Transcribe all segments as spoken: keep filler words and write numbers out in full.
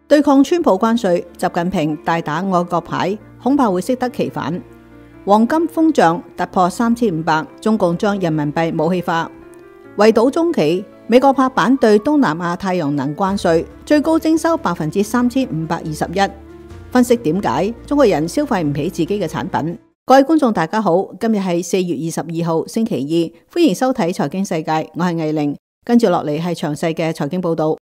對抗川普關稅，習近平大打愛國牌，恐怕會適得其反。黃金瘋漲突破三千五百，中共將人民幣武器化。圍堵中企，美國拍板對東南亞太陽能關稅，最高徵收百分之三千五百二十一。分析點解中國人消費唔起自己嘅產品？各位觀眾大家好，今日係四月二十二號星期二，歡迎收睇財經世界，我係魏玲，跟住落嚟係詳細嘅財經報道。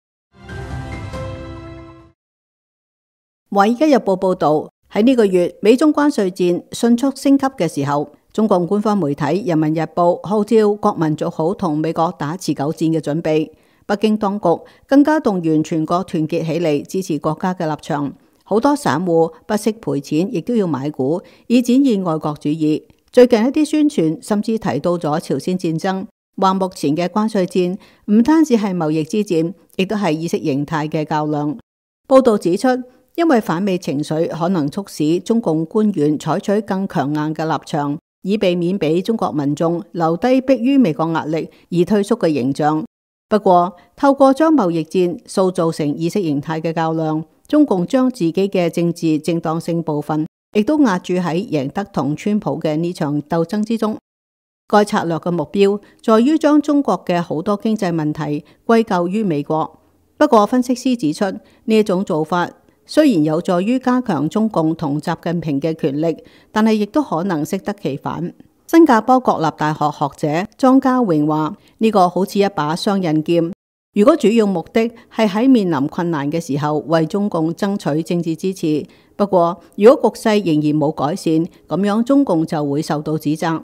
華爾街日報報道，喺呢個月美中關稅戰迅速升級嘅時候，中共官方媒體《人民日報》號召國民做好同美國打持久戰嘅準備。北京當局更加動員全國團結起嚟支持國家嘅立場。好多散戶不惜賠錢，亦都要買股，以展現愛國主義。最近一啲宣傳甚至提到咗朝鮮戰爭，話目前嘅關稅戰唔單止係貿易之戰，亦都係意識形態嘅較量。報道指出，因為反美情緒可能促使中共官員採取更強硬嘅立場，以避免俾中國民眾留低迫於美國壓力而退縮嘅形象。不過，透過將貿易戰塑造成意識形態嘅較量，中共將自己嘅政治正當性部分亦都壓住喺贏得同川普嘅呢場鬥爭之中。該策略嘅目標在於將中國嘅好多經濟問題歸咎於美國。不過，分析師指出，呢一種做法雖然有助於加強中共同習近平嘅權力，但係亦都可能適得其反。新加坡國立大學學者莊家榮話：呢個好似一把雙刃劍。如果主要目的係喺面臨困難嘅時候為中共爭取政治支持，不過如果局勢仍然冇改善，咁樣中共就會受到指責。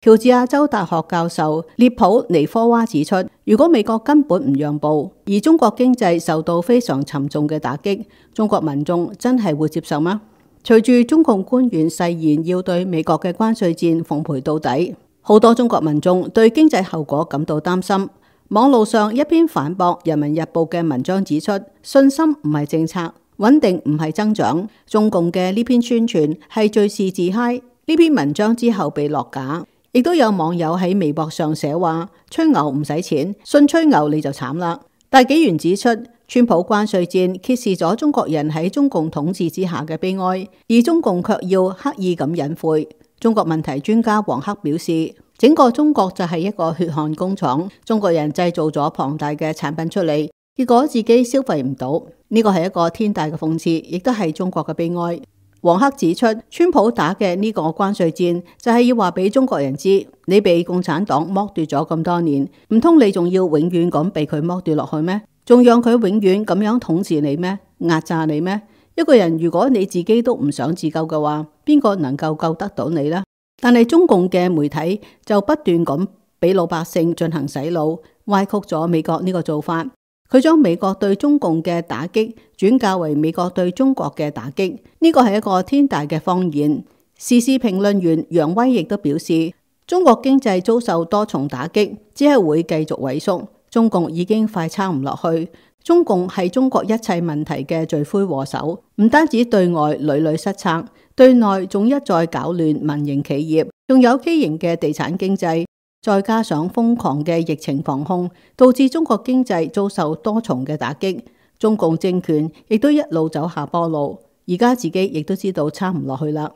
喬治亞州大學教授列普尼科娃指出，如果美國根本唔讓步，而中國經濟受到非常沉重嘅打擊，中國民眾真係會接受嗎？隨住中共官員誓言要對美國嘅關稅戰奉陪到底，好多中國民眾對經濟後果感到擔心。網路上一篇反駁《人民日報》嘅文章指出，信心唔係政策，穩定唔係增長。中共嘅呢篇宣傳係敘事自嗨。呢篇文章之後被落架，亦都有網友喺微博上寫話：吹牛唔使錢，信吹牛你就慘啦。大紀元指出，川普關稅戰揭示咗中國人喺中共統治之下嘅悲哀，而中共卻要刻意咁隱晦。中國問題專家黃克表示，整個中國就係一個血汗工廠，中國人製造咗龐大嘅產品出嚟，結果自己消費唔到，呢個係一個天大嘅諷刺，亦都係中國嘅悲哀。黃克指出，川普打嘅呢個關稅戰就係要話俾中國人知，你被共產黨剝奪咗咁多年，唔通你仲要永遠咁被佢剝奪落去咩？仲讓佢永遠咁樣統治你咩？壓榨你咩？一個人如果你自己都唔想自救嘅話，邊個能夠救得到你呢？但係中共嘅媒體就不斷咁俾老百姓進行洗腦，歪曲咗美國呢個做法。佢將美國對中共嘅打擊轉嫁為美國對中國嘅打擊，呢個係一個天大嘅謊言。時事評論員楊威亦都表示，中國經濟遭受多重打擊，只係會繼續萎縮。中共已經快撐唔落去。中共係中國一切問題嘅罪魁禍首，唔單止對外屢屢失策，對內仲一再搞亂民營企業，仲有畸形嘅地產經濟，再加上瘋狂嘅疫情防控，導致中國經濟遭受多重嘅打擊。中共政權亦都一路走下坡路，而家自己亦都知道撐唔落去啦。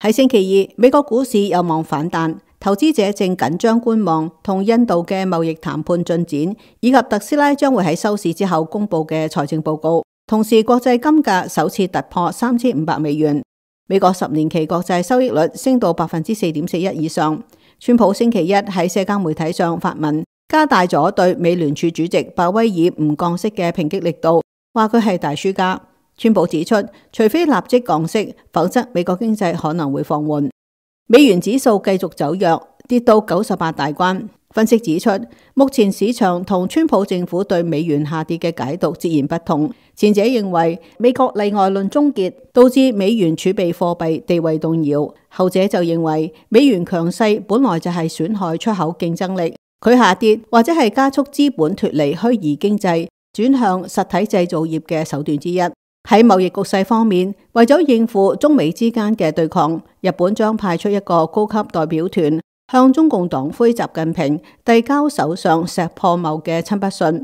喺星期二，美國股市有望反彈。投資者正緊張觀望同印度嘅貿易談判進展，以及特斯拉將會喺收市之後公布嘅財政報告。同時，國際金價首次突破三千五百美元。美國十年期國債收益率升到百分之四點四一以上。川普星期一喺社交媒體上發文，加大咗對美聯儲主席鮑威爾唔降息嘅抨擊力度，話佢係大輸家。川普指出，除非立即降息，否則美國經濟可能會放緩。美元指數繼續走弱，跌到九十八大關。分析指出，目前市場同川普政府對美元下跌嘅解讀截然不同。前者認為美國例外論終結，導致美元儲備貨幣地位動搖；後者就認為美元強勢本來就係損害出口競爭力，佢下跌或者係加速資本脫離虛擬經濟，轉向實體製造業嘅手段之一。喺貿易局勢方面，為咗應付中美之間嘅對抗，日本將派出一個高級代表團向中共黨魁習近平遞交首相石破茂嘅親筆信。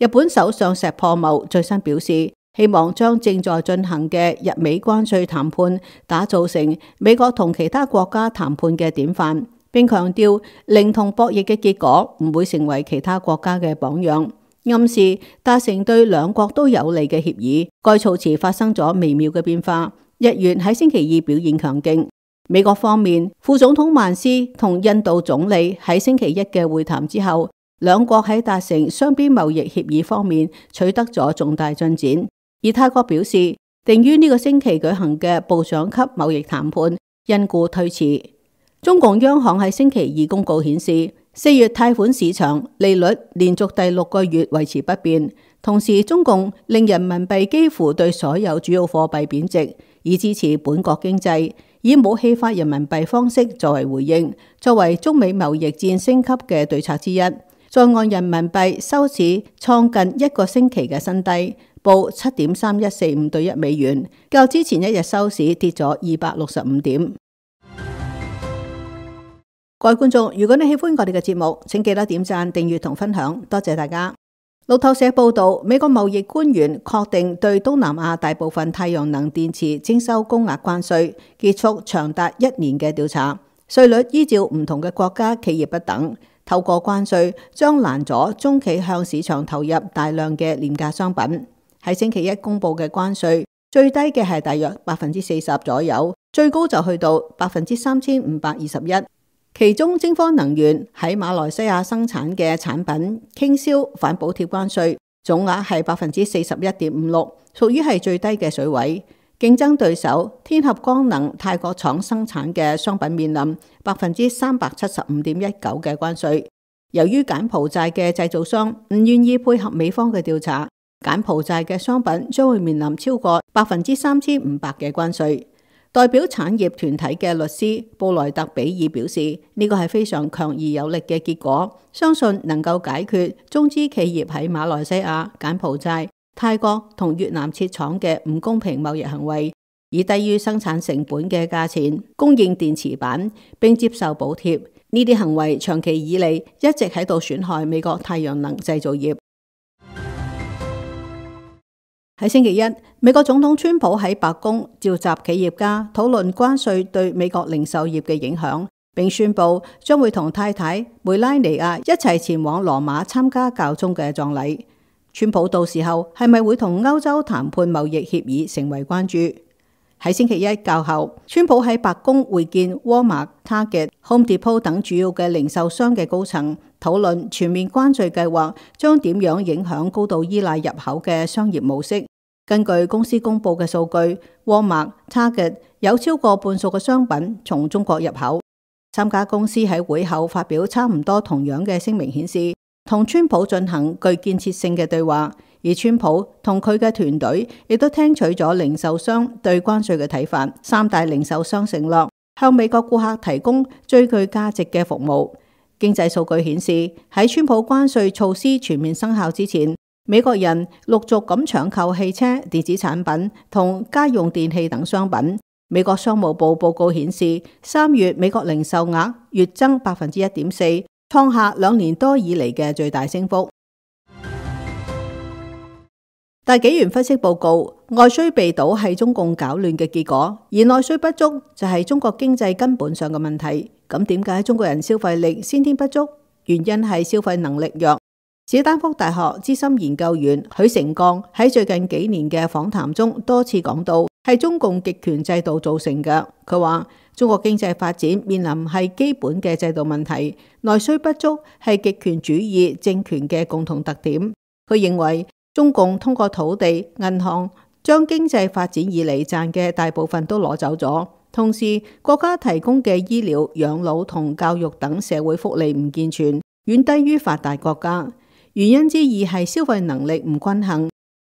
日本首相石破茂最新表示，希望將正在進行嘅日美關稅談判打造成美國同其他國家談判嘅典範，並強調零同博弈嘅結果唔會成為其他國家嘅榜樣，暗示達成對兩國都有利嘅協議。該措辭發生咗微妙嘅變化，日元喺星期二表現強勁。美國方面，副總統曼斯同印度總理喺星期一嘅會談之後，兩國喺達成雙邊貿易協議方面取得咗重大進展。而泰國表示，定於呢個星期舉行嘅部長級貿易談判因故推遲。中共央行喺星期二公告顯示，四月貸款市場利率連續第六個月維持不變，同時中共令人民幣幾乎對所有主要貨幣貶值，以支持本國經濟，以武器化人民幣方式作為回應，作為中美貿易戰升級嘅對策之一。在岸人民幣收市創近一個星期嘅新低，報七點三一四五對一美元，較之前一日收市跌咗二百六十五點。各位觀眾，如果你喜歡我哋嘅節目，請記得點讚、訂閱同分享，多謝大家。路透社報道，美國貿易官員確定對東南亞大部分太陽能電池徵收高額關稅，結束長達一年嘅調查。稅率依照唔同嘅國家企業不等，透過關稅將攔阻中企向市場投入大量嘅廉價商品。喺星期一公布嘅關稅，最低嘅係大約百分之四十左右，最高就去到百分之三千五百二十一。其中，晶科能源喺馬來西亞生產嘅產品傾銷反補貼關稅，總額係百分之四十一點五六，屬於係最低嘅水位。競爭對手天合光能泰國廠生產嘅商品面臨百分之三百七十五點一九嘅關稅。由於柬埔寨嘅製造商唔願意配合美方嘅調查，柬埔寨嘅商品將會面臨超過百分之三千五百嘅關稅。代表產業團體嘅律師布萊特比爾表示，呢個係非常強而有力嘅結果，相信能夠解決中資企業喺馬來西亞、柬埔寨、泰國同越南設廠嘅唔公平貿易行為，以低於生產成本嘅價錢供應電池板並接受補貼。呢啲行為長期以嚟一直喺度損害美國太陽能製造業。喺星期一，美國總統川普喺白宮召集企業家討論關稅對美國零售業嘅影響，並宣布將會同太太梅拉尼亞一齊前往羅馬參加教宗嘅葬禮。川普到時候係咪會同歐洲談判貿易協議成為關注。喺星期一較後，川普喺白宮會見沃爾瑪、Target、Home Depot 等主要嘅零售商嘅高層，討論全面關稅計劃將點樣影響高度依賴入口嘅商業模式。根據公司公布嘅數據，沃爾瑪、Target 有超過半數嘅商品從中國入口。三家公司喺會後發表差唔多同樣嘅聲明，顯示同川普進行具建設性嘅對話，而川普同佢嘅團隊亦都聽取咗零售商對關稅嘅睇法。三大零售商承諾向美國顧客提供最具價值嘅服務。經濟數據顯示，喺川普關稅措施全面生效之前，美國人陸續咁搶購汽車、電子產品同家用電器等商品。美國商務部報告顯示，三月美國零售額月增百分之一點四，創下兩年多以嚟嘅最大升幅。大紀元分析報告，外需被堵係中共搞亂嘅結果，而內需不足就係中國經濟根本上嘅問題。咁點解中國人消費力先天不足？原因係消費能力弱。史丹福大學資深研究員許成鋼喺最近幾年嘅訪談中多次講到，係中共極權制度造成嘅。佢話中國經濟發展面臨係基本嘅制度問題，內需不足係極權主義政權嘅共同特點。佢認為中共通過土地、銀行將經濟發展以嚟賺嘅大部分都攞走咗，同時國家提供嘅醫療、養老同教育等社會福利唔健全，遠低於發達國家。原因之二係消費能力唔均衡。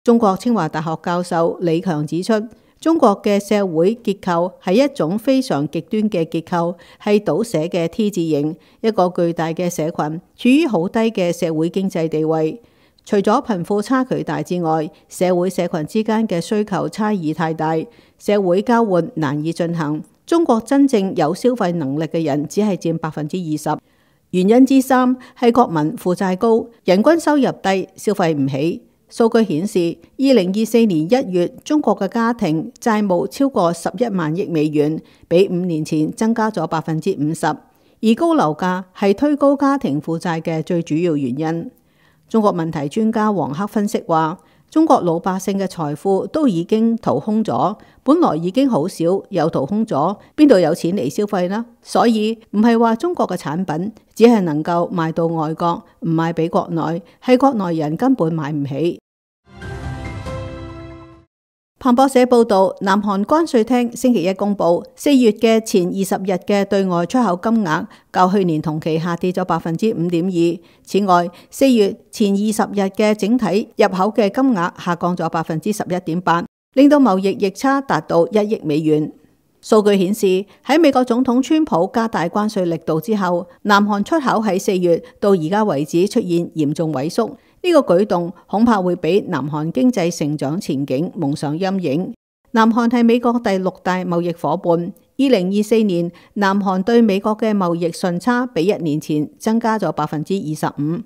中國清華大學教授李強指出，中國嘅社會結構係一種非常極端嘅結構，係倒寫嘅 T 字形，一個巨大嘅社群處於好低嘅社會經濟地位。除咗貧富差距大之外，社會社群之間嘅需求差異太大，社會交換難以進行。中國真正有消費能力嘅人只係佔百分之二十。原因之三係國民負債高，人均收入低，消費唔起。數據顯示，二零二四年一月中國嘅家庭債務超過十一萬億美元，比五年前增加咗百分之五十。而高樓價係推高家庭負債嘅最主要原因。中國問題專家王克分析話，中國老百姓嘅財富都已經掏空咗，本來已經好少，又掏空咗，邊度有錢嚟消費呢？所以唔係話中國嘅產品只係能夠賣到外國，唔賣俾國內，係國內人根本買唔起。彭博社報道，南韓關稅廳星期一公布，四月嘅前二十日嘅對外出口金額較去年同期下跌咗百分之五點二。此外，四月前二十日嘅整體入口嘅金額下降咗百分之十一點八，令到貿易逆差達到一億美元。數據顯示，喺美國總統川普加大關稅力度之後，南韓出口喺四月到而家為止出現嚴重萎縮。呢個舉動恐怕會俾南韓經濟成長前景蒙上陰影。南韓係美國第六大貿易夥伴，二零二四年南韓對美國嘅貿易順差比一年前增加咗百分之二十五。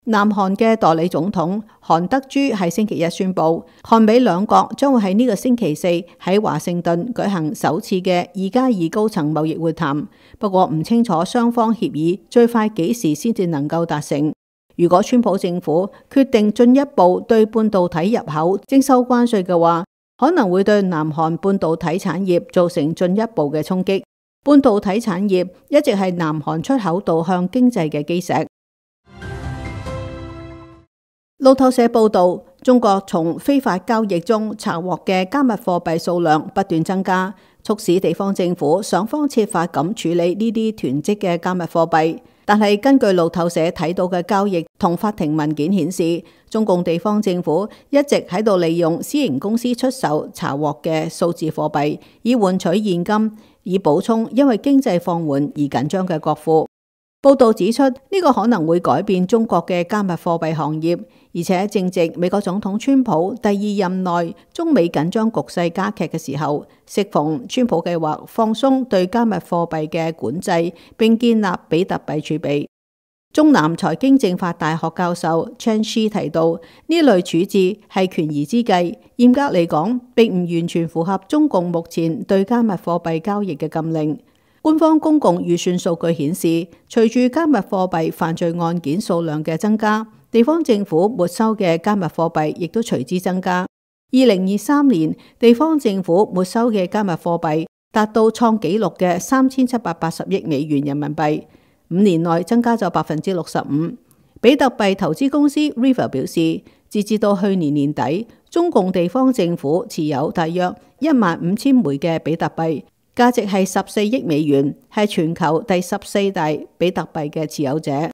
南韓嘅代理總統韓德珠喺星期一宣布，韓美兩國將會喺呢個星期四喺華盛頓舉行首次嘅二加二高層貿易會談，不過唔清楚雙方協議最快幾時先至能夠達成。如果川普政府決定進一步對半導體入口徵收關稅嘅話，可能會對南韓半導體產業造成進一步嘅衝擊。半導體產業一直係南韓出口導向經濟嘅基石。路透社報道，中國從非法交易中查獲嘅加密貨幣數量不斷增加，促使地方政府想方設法咁處理呢啲囤積嘅加密貨幣。但係根據路透社睇到嘅交易同法庭文件顯示，中共地方政府一直喺度利用私營公司出售查獲嘅數字貨幣，以換取現金，以補充因為經濟放緩而緊張嘅國庫。報道指出，呢、這個可能會改變中國嘅加密貨幣行業，而且正值美國總統川普第二任內中美緊張局勢加劇嘅時候，適逢川普計劃放鬆對加密貨幣嘅管制，並建立比特幣儲備。中南財經政法大學教授 Chen Shi 提到，呢類處置係權宜之計，嚴格嚟講並唔完全符合中共目前對加密貨幣交易嘅禁令。官方公共預算數據顯示，隨住加密貨幣犯罪案件數量嘅增加，地方政府沒收嘅加密貨幣亦都隨之增加。二零二三年，地方政府沒收嘅加密貨幣達到創紀錄嘅三千七百八十億美元人民幣，五年內增加咗百分之六十五。比特幣投資公司 River 表示，截至到去年年底，中共地方政府持有大約一萬五千枚嘅比特幣，價值係十四億美元，係全球第十四大比特幣嘅持有者。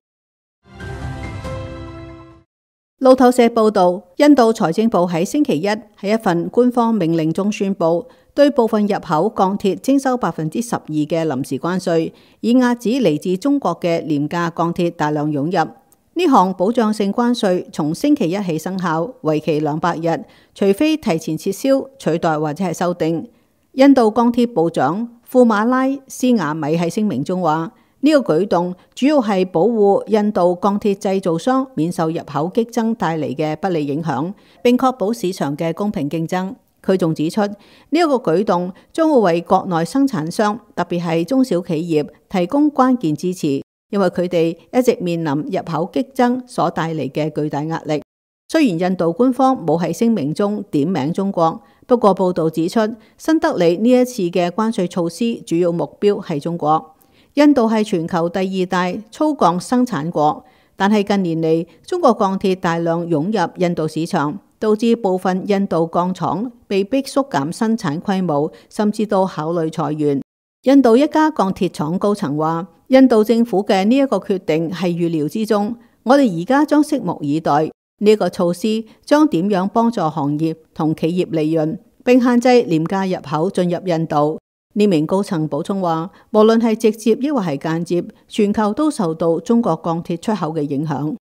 路透社報道，印度財政部喺星期一喺一份官方命令中宣布，對部分入口鋼鐵徵收百分之十二嘅臨時關稅，以遏止嚟自中國嘅廉價鋼鐵大量湧入。呢項保障性關稅從星期一起生效，為期兩百日，除非提前撤銷、取代或者係修訂。印度鋼鐵部長庫馬拉斯瓦米喺聲明中話：呢、這個舉動主要係保護印度鋼鐵製造商免受入口激增帶嚟嘅不利影響，並確保市場嘅公平競爭。佢仲指出，呢、這、一個舉動將會為國內生產商，特別係中小企業提供關鍵支持，因為佢哋一直面臨入口激增所帶嚟嘅巨大壓力。雖然印度官方冇喺聲明中點名中國，不過報道指出，新德里呢一次嘅關稅措施主要目標係中國。印度係全球第二大粗鋼生產國，但係近年嚟中國鋼鐵大量湧入印度市場，導致部分印度鋼廠被迫縮減生產規模，甚至到考慮裁員。印度一家鋼鐵廠高層話：印度政府嘅呢一個決定係預料之中，我哋而家將拭目以待。呢個措施將點樣幫助行業同企業利潤，並限制廉價入口進入印度。呢名高層補充話，無論係直接抑或係間接，全球都受到中國鋼鐵出口嘅影響。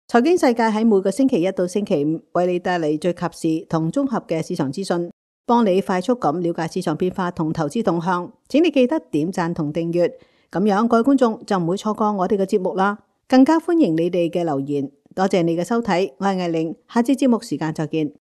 財經世界喺每個星期一到星期五為你帶嚟最及時同綜合嘅市場資訊，幫你快速咁了解市場變化同投資動向。請你記得點讚同訂閱。咁樣各位觀眾就唔會錯過我哋嘅節目啦。更加歡迎你哋嘅留言，多謝你嘅收睇，我係藝玲，下次節目時間再見。